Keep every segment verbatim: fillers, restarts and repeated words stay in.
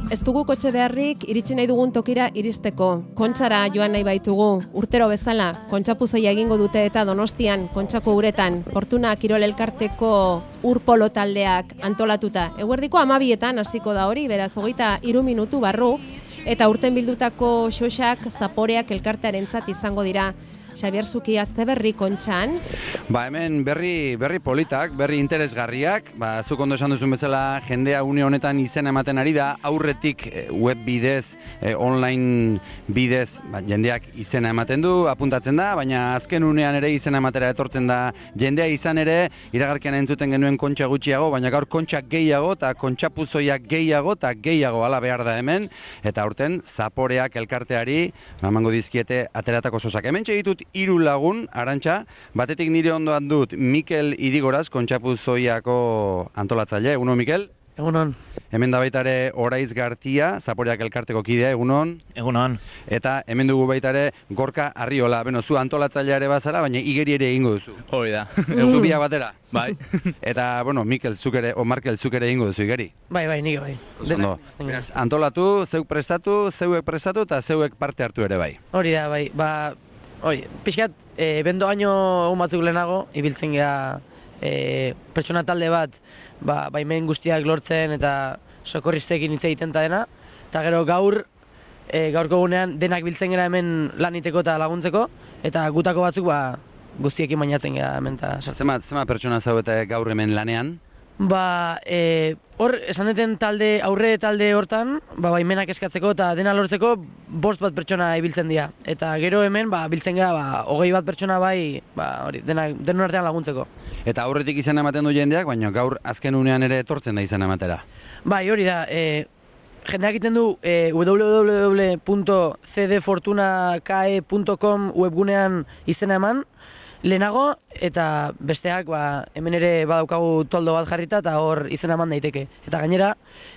Ez dugu kotxe beharrik iritsi nahi dugun tokira iristeko. Kontxara joan nahi baitugu. Urtero bezala, kontxapuzoia egingo dute eta Donostian, Kontxako uretan, Fortuna Kirol Elkarteko urpolo taldeak antolatuta. Eguerdiko hamabietan hasiko da hori, beraz hogeita hiru minutu barru, eta urten bildutako xoxak zaporeak elkartearentzat izango dira. Xabier Zukia, ze berri Kontxan? Ba, hemen berri, berri politak, berri interesgarriak, ba, zuk ondo esan duzun bezala jendea une honetan izena ematen ari da, aurretik web bidez, eh, online bidez, ba, jendeak izena ematen du, apuntatzen da, baina azken unean ere izena ematera etortzen da jendea izan ere, iragarkian entzuten genuen kontxa gutxiago, baina gaur kontxa gehiago, eta kontxapuzoia gehiago, eta gehiago ala behar da hemen, eta aurten zaporeak elkarteari, emango dizkiete ateratako sosak. Hemen txegitut hiru lagun, Arantxa, batetik nire ondoan dut Mikel Idigoraz, Kontxapuzoiako antolatzaile. Egunon, Mikel? Egunon. Hemen da baita ere Oraiz Gartia, Zaporeak elkarteko kidea, egunon? Egunon. Eta hemen dugu baita ere Gorka Arriola, beno, zu antolatzailea ere bazara, baina igeri ere egingo duzu. Hori da. Zu bia batera? Bai. Eta, bueno, Mikel, zuk ere, o Markel, zuk ere egingo duzu igeri? Bai, bai, nik bai. Ondo. Beraz, antolatu, zeuk prestatu, zeuek prestatu eta zeuek parte hartu ere bai. Hori da, bai. Ba, hori, pixkat, e, bendo año egun batzuk lehenago, ibiltzen geha e, pertsona talde bat, ba, baimen guztiak lortzen eta sokorristekin hitz egiten ta dena. Eta gero gaur, e, gaurko gunean denak biltzen gara hemen laniteko eta laguntzeko, eta gutako batzuk ba, guztiekin bainatzen geha hemen eta sartzen. Zemat, zemat pertsona zaudete gaur hemen lanean? Ba, e, hor, esan deten talde, aurre talde hortan, ba, baimenak eskatzeko eta dena lortzeko bost bat pertsona ibiltzen dira. Eta gero hemen, ba, biltzen gara, ba, hogei bat pertsona bai, ba, hori, dena, denon artean laguntzeko. Eta aurretik izena ematen du jendeak, baina gaur azken unean ere etortzen da izena ematera. Bai, hori da, e, jendeak egiten du e, w w w punto c d fortuna k e punto com webgunean izena eman, lehenago, eta besteak ba, hemen ere badaukagu toldo bat jarrita eta hor izena eman daiteke. Eta gainera,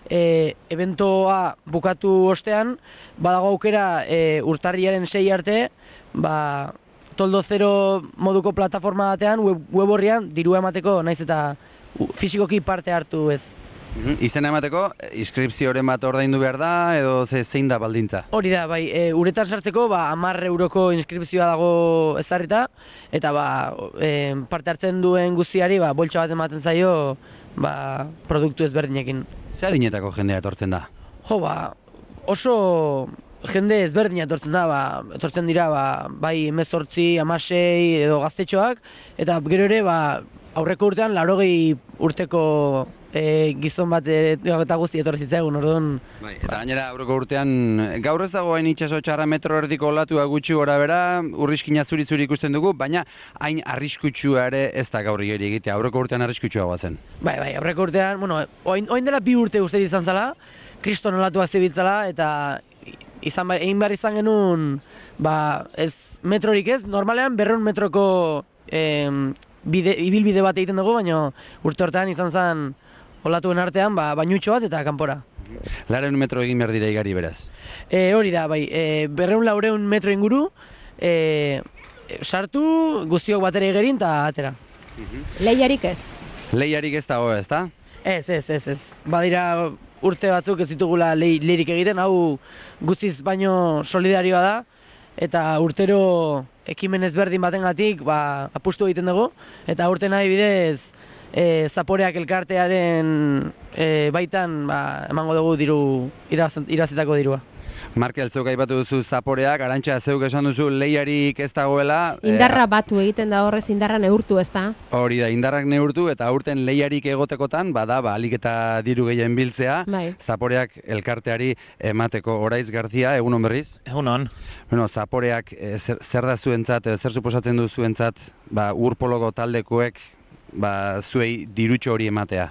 e, eventoa bukatu ostean, badago aukera e, urtarriaren sei arte, ba, toldo zero moduko plataforma batean, web, web horrian, dirua emateko, naiz eta fisikoki parte hartu ez. Izena emateko, inskripzioren bat ordaindu behar da, edo ze, zein da baldintza? Hori da, bai, e, uretan sartzeko ba, hamar euroko inskripzioa dago ezarrita, eta ba, e, parte hartzen duen guztiari ba, boltsa bat ematen zaio ba, produktu ezberdinekin. Ze adinetako jendea etortzen da? Jo, ba, oso jende ezberdina etortzen da, ba, etortzen dira ba, bai hemezortzi, hamasei edo gaztetxoak, eta gero ere ba, aurreko urtean laurogei urteko E, gizon bat e, eta guzti etorri zitzaigun, orduan... Bai, eta gainera aurreko urtean, gaur ez dago hain itxaso txarra metro erdiko olatua gutxi gora bera, urriskina zuri-zuri ikusten dugu, baina hain arriskutsua ere ez da gaur igeri egitea, aurreko urtean arriskutsua goazen. Bai, bai, aurreko urtean, bueno, oin, oin dela bi urte uste izan zala, kriston olatuak zibiltzala, eta izan, egin behar izan genuen, ba, ez metrorik ez, normalean berreun metroko em, bide, ibilbide bat egiten dugu, baina urte hortean izan zen, olatuen artean, ba, bainutxo bat eta kanpora. Lareun metro egin behar dira igari beraz? E, hori da, bai, e, berreun laureun metro inguru, e, sartu, guztiok batera egerin eta atera. Lehiarik ez? Lehiarik ez dago ez da? Ez, ez, ez, ez. Badira urte batzuk ez ditugula lehi, lehirik egiten, hau guztiz baino solidarioa da, eta urtero ekimen ezberdin batengatik ba, apustu egiten dugu, eta urten adibidez, E, Zaporeak elkartearen e, baitan ba, emango dugu diru, iraz, irazitako dirua. Markel, zeuk aipatu duzu Zaporeak, Arantxa, zeuk esan duzu lehiarik ez dagoela. Indarra batu egiten da horrez, indarra neurtu ez da? Hori da, indarrak neurtu eta aurten lehiarik egotekotan, bada, ba, alik eta diru gehien biltzea, bai. Zaporeak elkarteari emateko. Oraiz Garzia, egunon berriz? Egunon. Bueno, Zaporeak e, zer, zer da zuentzat, zer suposatzen du zuentzat, ba, urpoloko taldekoek, ba, zuei dirutxo hori ematea?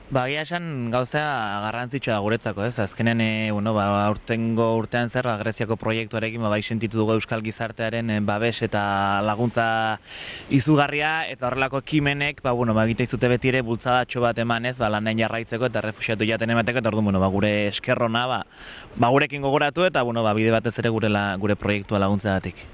Ba, egia esan gauza garrantzitsua guretzako, ez? Azkenen, e, bueno, ba, aurtengo urtean zer, Greziako proiektuarekin ba, bai sentitu dugu euskal gizartearen e, babes eta laguntza izugarria, eta horrelako ekimenek, ba, bueno, ba, egite izute beti ere bultzadatxo bat emanez, ba, lanean jarraitzeko eta refuxiatu jaten emateko, eta orduan, bueno, ba, gure eskerrona, ba, ba, gurekin gogoratu eta, bueno, ba, bide batez ere gure, la, gure proiektua laguntzagatik.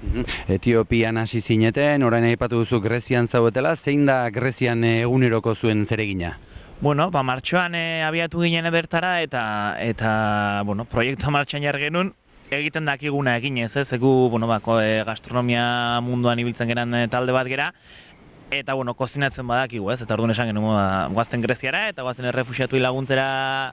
Etiopian hasi zineten, orain aipatu duzu Grezian zaudetela, zein da Grezian eguneroko zuen zeregina? Bueno, ba, martxoan e, abiatu ginen bertara eta, eta bueno, proiektua martxan jar genuen, egiten dakiguna egin ez, ez, egu, bueno, ba, e, gastronomia munduan ibiltzen geran e, talde bat gera, eta, bueno, kozinatzen badakigu, ez, eta orduan esan genuen, ba, guazten Greziara, eta guazten errefuxiatuei laguntzera,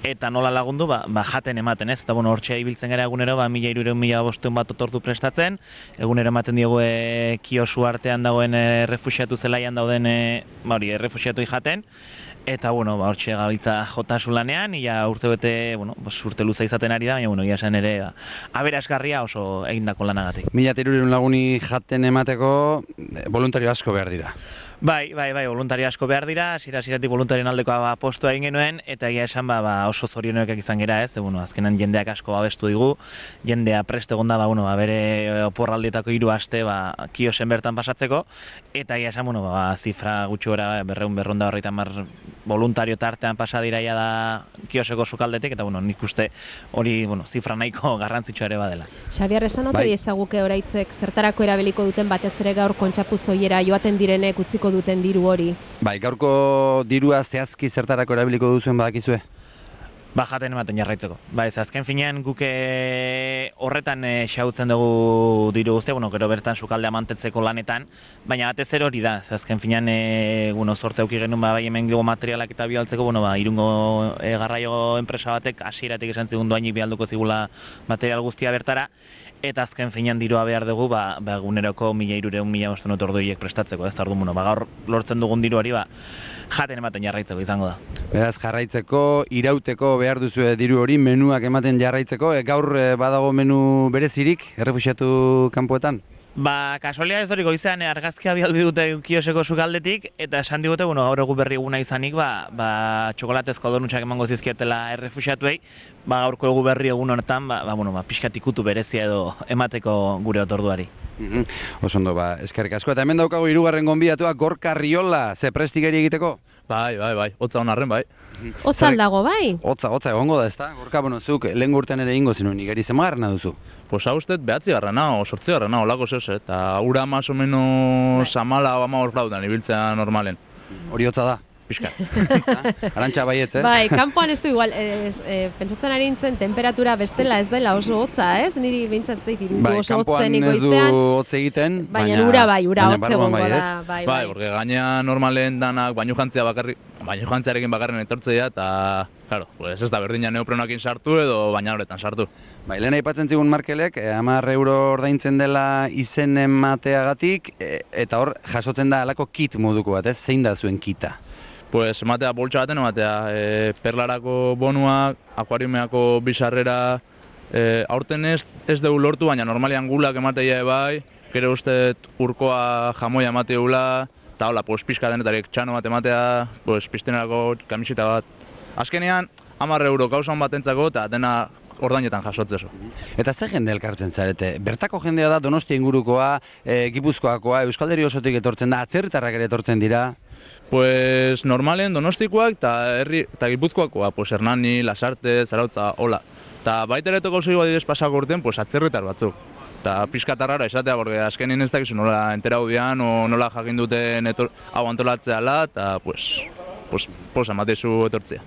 eta nola lagundu, ba, ba jaten ematen, ez, eta, bueno, hortxe ibiltzen gara egunero, ba, mila irureun mila bosteun bat otortu prestatzen, egunero ematen diogu e, kiosu artean dagoen e, errefuxiatu zelaian dauden, e, ba, hori, errefuxiatuei jaten, eta, bueno, ba, hortxe gabiltza jotasun lanean, ia urte bete, bueno, bos, urte luza izaten ari da, baina, bueno, ia esan ere, ba, aberasgarria oso egindako lanagatik. Mila hirurehun laguni jaten emateko voluntario asko behar dira. Bai, bai, bai, voluntario asko behar dira, zira-ziratik voluntarien aldeko ba, postua egin genuen, eta egia esan ba, ba, oso zorionoekak izan gera ez, e, bueno, azkenan jendeak asko babestu digu, jendea prest egon da, ba, bueno, ba, bere oporraldietako hiru aste ba, kiosen bertan pasatzeko, eta egia esan, bueno, ba, zifra gutxi gora, berreun berronda horretan mar voluntario tartean pasa diraia da kioseko sukaldetik, eta bueno, nik uste hori, bueno, zifra nahiko garrantzitsua ere badela. Xabier, esan ote Bai. ezaguke oraitzek zertarako erabiliko duten batez ere gaur kontxapuzoiera joaten direnek utziko duten diru hori? Bai, gaurko dirua zehazki zertarako erabiliko duzuen badakizue? Ba, jaten ematen jarraitzeko. Ba, ez azken finean guk e, horretan e, xautzen dugu diru guztia, bueno, gero bertan sukaldea mantentzeko lanetan, baina batez ere hori da, ez azken finean e, bueno, zorte auki genuen ba, bai hemen dugu materialak eta bialtzeko, bueno, ba, irungo e, garraio enpresa batek hasieratik esan zigun doainik bialduko zigula material guztia bertara, eta azken finean dirua behar dugu, ba, ba eguneroko mila hirureun mila bosteun otorduiek prestatzeko, ez tardu, bueno, ba, gaur lortzen dugun diruari, ba, jaten ematen jarraitzeko izango da. Beraz, jarraitzeko, irauteko behar duzu diru hori, menuak ematen jarraitzeko, e, gaur e, badago menu berezirik, errefuxiatu kanpoetan? Ba, kasualia ez hori goizean argazkia bialdi dute kioseko sukaldetik, eta esan digute, bueno, gaur egun berri eguna izanik, ba, ba txokolatezko donutxak emango zizkietela errefuxiatuei, ba, gaurko egu berri egun honetan, ba, ba, bueno, ba, pixkat ikutu berezia edo emateko gure otorduari. Mm-hmm. Oso ondo, ba, eskerrik asko. Eta hemen daukagu hirugarren gonbidatua, Gorka Riola, ze prestigeri egiteko? Bai, bai, bai, hotza honarren, bai. Hotza aldago, bai? Hotza, hotza egongo da, ezta? Gorka, bueno, zuk lehen urtean ere ingo zinuen, igeri zemagarrena duzu? Pues hau usted behatzi garrana, o sortzi garrana, olako zeus, eta ura más o menos amala o ama orflautan, ibiltzea normalen. Hori hotza da? Piskat. Arantxa baietz, eh? Bai, kanpoan ez du igual, ez, e, pentsatzen ari nintzen temperatura bestela ez dela oso hotza, ez? Niri behintzat zait iruditu Bai, oso kanpoan hotzen ez du igoizean. hotz egiten, Baina baina ura bai, ura baina hotz barruan egongo bai, da, ez? bai, Bai, bai. porque gaina normalen danak baino jantzia bakarrik, baino jantziarekin bakarren etortzea, eta, claro, pues ez da berdina neoprenoakin sartu edo baina horretan sartu. Bai, lehen aipatzen zigun Markelek, eh, hamar euro ordaintzen dela izen emateagatik, eh, eta hor jasotzen da halako kit moduko bat, ez? Zein da zuen kita? Pues ematea boltsa baten ematea, e, perlarako bonuak, akuariumeako bizarrera, e, aurten ez, ez dugu lortu, baina normalian gulak emateia bai, gero uste urkoa jamoia emateula, eta hola, pues, pixka denetarik txano bat ematea, pues, piztenerako kamiseta bat. Azkenean, hamar euro gauzan batentzako, eta dena ordainetan jasotzezo. Eta ze jende elkartzen zarete? Bertako jendea da Donostia ingurukoa, e, Gipuzkoakoa, Euskal Herri osotik etortzen da, atzerritarrak ere etortzen dira? Pues normalen Donostikoak eta herri eta Gipuzkoakoa, pues Hernani, Lasarte, Zarautza, hola. Eta baita ere toko zego adibidez pasako urtean, pues atzerritar batzuk. Eta pixkatarrara esatea, porque azkenin ez dakizu nola enterau dian, o nola jakin duten etor, hau antolatzea la, eta pues, pues, posa matezu etortzea.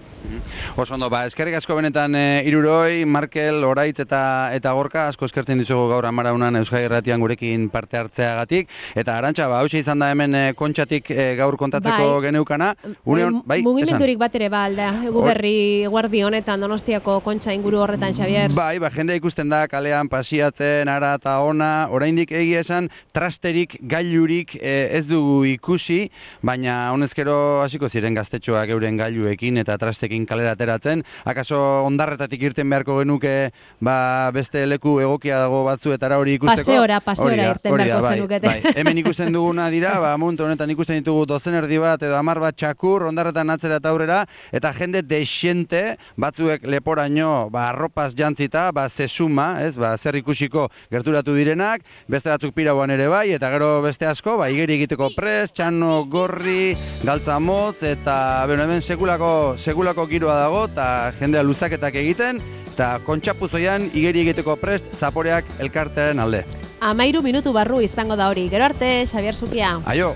Oso ondo, ba, eskerrik asko benetan e, Iruroi, Markel, Oraitz eta eta Gorka, asko eskertzen dizugu gaur amaraunan Euskadi Irratian gurekin parte hartzeagatik. Eta Arantxa, ba, hauxe izan da hemen e, kontxatik e, gaur kontatzeko Bai. geneukana. Une, bai, mugimendurik bat ere ba, alda, egu berri guardi honetan Donostiako kontxa inguru horretan, Xabier. Bai, ba, jendea ikusten da kalean pasiatzen, ara eta ona, oraindik egia esan, trasterik, gailurik e, ez dugu ikusi, baina honezkero hasiko ziren gaztetxoak euren gailuekin eta trastekin kalera ateratzen. Akaso ondarretatik irten beharko genuke ba, beste leku egokia dago batzuetara hori ikusteko? Paseora, paseora irten beharko bai, zenukete. Bai. Hemen ikusten duguna dira, ba, momentu honetan ikusten ditugu dozen erdi bat edo hamar bat txakur, ondarretan atzera eta aurrera, eta jende desiente, batzuek leporaino ba, arropaz jantzita, ba, zesuma, ez, ba, zer ikusiko gerturatu direnak, beste batzuk pirauan ere bai, eta gero beste asko, ba, igeri egiteko prest, txano gorri, galtza motz, eta bueno, hemen sekulako, sekulako giroa dago, eta jendea luzaketak egiten, eta kontxapuzoian igeri egiteko prest zaporeak elkartearen alde. Amairu minutu barru izango da hori. Gero arte, Xabier Zukia. Aio!